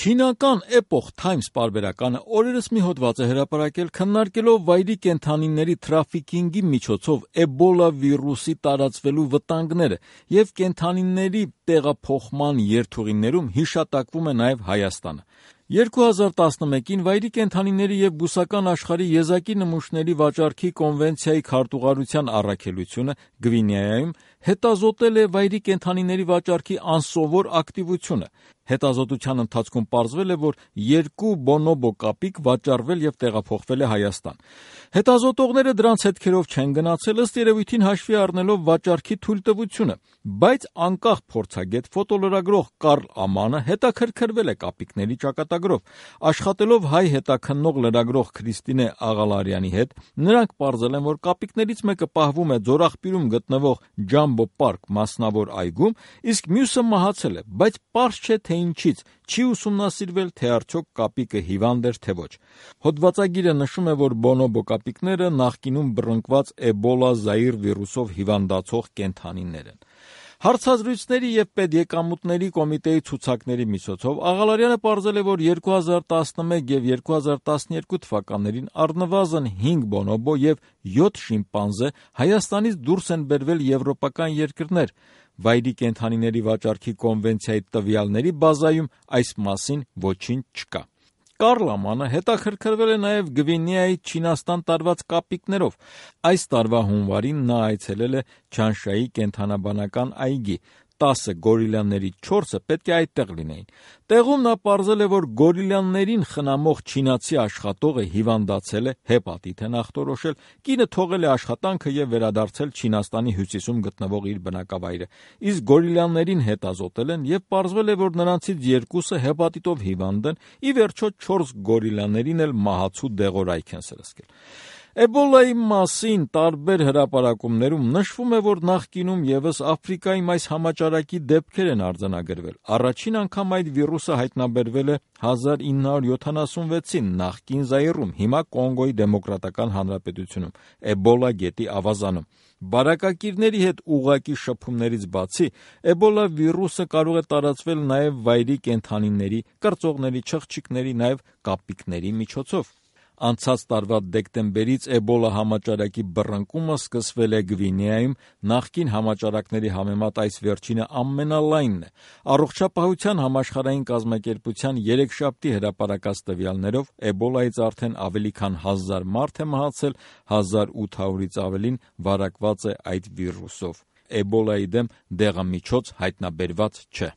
Չինական Epoch Times պարբերականը օրերս մի հոդված է հրապարակել քննարկելով վայրի կենդանիների թրաֆիքինգի միջոցով Էբոլա վիրուսի տարածվելու վտանգները եւ կենդանիների տեղափոխման երթուղիներում հիշատակվում է նաեւ Հայաստանը։ 2011-ին վայրի կենդանիների եւ բուսական աշխարհի եզակի նմուշների վաճառքի կոնվենցիայի քարտուղարության առաքելությունը Գվինեայում հետազոտել է վայրի կենդանիների վաճառքի անսովոր ակտիվությունը։ Հետազոտության ընթացքում պարզվել է, որ 2 բոնոբո կապիկ վաճառվել եւ տեղափոխվել է Հայաստան։ Հետազոտողները դրանց հետքերով չեն գնացել, ըստ երևույթին հաշվի առնելով վաճառքի թույլտվությունը, բայց անկախ փորձագետ ֆոտոլրագրող Կարլ Ամանը հետաքրքրվել է կապիկների ճակատագրով։ Աշխատելով հայ հետաքննող լրագրող Քրիստինե Աղալարյանի հետ, նրանք պարզել են, որ կապիկներից մեկը պահվում է Ձորաղբյուրում գտնվող Ջամբո Պարկ մասնավոր այգում, իսկ մյուսը մահացել է, բայց պարզ չէ, թե ինչից, չի ուսումնասիրվել, թե արդյոք կապիկը հիվանդ էր, թե ոչ։ Հոդվածագիրը նշում է, որ բոնոբո կապիկները նախկինում բռնկված Էբոլա Զայիր վիրուսով հիվանդացող կենդանիներ են։ Հարցազրույցների եւ պետեկամուտների կոմիտեի ցուցակների միջոցով Աղալարյանը պարզել է, որ 2011 եւ 2012 թվականներին առնվազն 5 բոնոբո եւ 7 շիմպանզե Հայաստանից դուրս են բերվել եվրոպական երկրներ։ Վայրի կենդանիների վաճառքի կոնվենցիայի տվյալների բազայում այս մասին ոչինչ չկա։ Կարլ Ամանը հետաքրքրվել է նաև Գվինեայի Չինաստան տարված կապիկներով։ Այս տարվա հունվարին նա այցելել է Չանշայի կենդանաբանական այգի։ 10 գորիլաների 4-ը պետք է այդտեղ լինեին։ Տեղում նա պարզել է, որ գորիլաներին խնամող չինացի աշխատողը հիվանդացել է, հեպատիտ են ախտորոշել, կինը թողել է աշխատանքը եւ վերադարձել Չինաստանի հյուսիսում գտնվող իր բնակավայրը։ Իսկ գորիլաներին հետազոտել են եւ պարզվել է, որ նրանցից 2-ը հեպատիտով հիվանդ են, ի վերջո 4 գորիլաներին էլ մահացու դեղորայք են սրսկել։ Էբոլայի մասին տարբեր հրապարակումներում նշվում է, որ նախկինում եւս Աֆրիկայում այս համաճարակի դեպքեր են արձանագրվել։ Առաջին անգամ այդ վիրուսը հայտնաբերվել է 1976-ին նախկին Զայրում, հիմա Կոնգոյի Դեմոկրատական Հանրապետությունում, Էբոլա գետի ավազանում։ Բարակակիրների հետ ուղղակի շփումներից բացի, Էբոլա վիրուսը կարող է տարածվել նաև վայրի կենդանիների, կրծողների, չղջիկների, նաև կապիկների միջոցով։ Անցած տարվա դեկտեմբերից Էբոլա համաճարակի բռնկումը սկսվել է Գվինեայում, նախկին համաճարակների համեմատ այս վերջինը ամենալայնն է։ Առողջապահության համաշխարհային կազմակերպության երեքշաբթի հրապարակած տվյալներով Էբոլայից արդեն ավելի քան 1000 մարդ է մահացել, 1800-ից ավելին վարակված է այդ վիրուսով։ Էբոլայի դեմ դեղամիջոց հայտնաբերված չէ։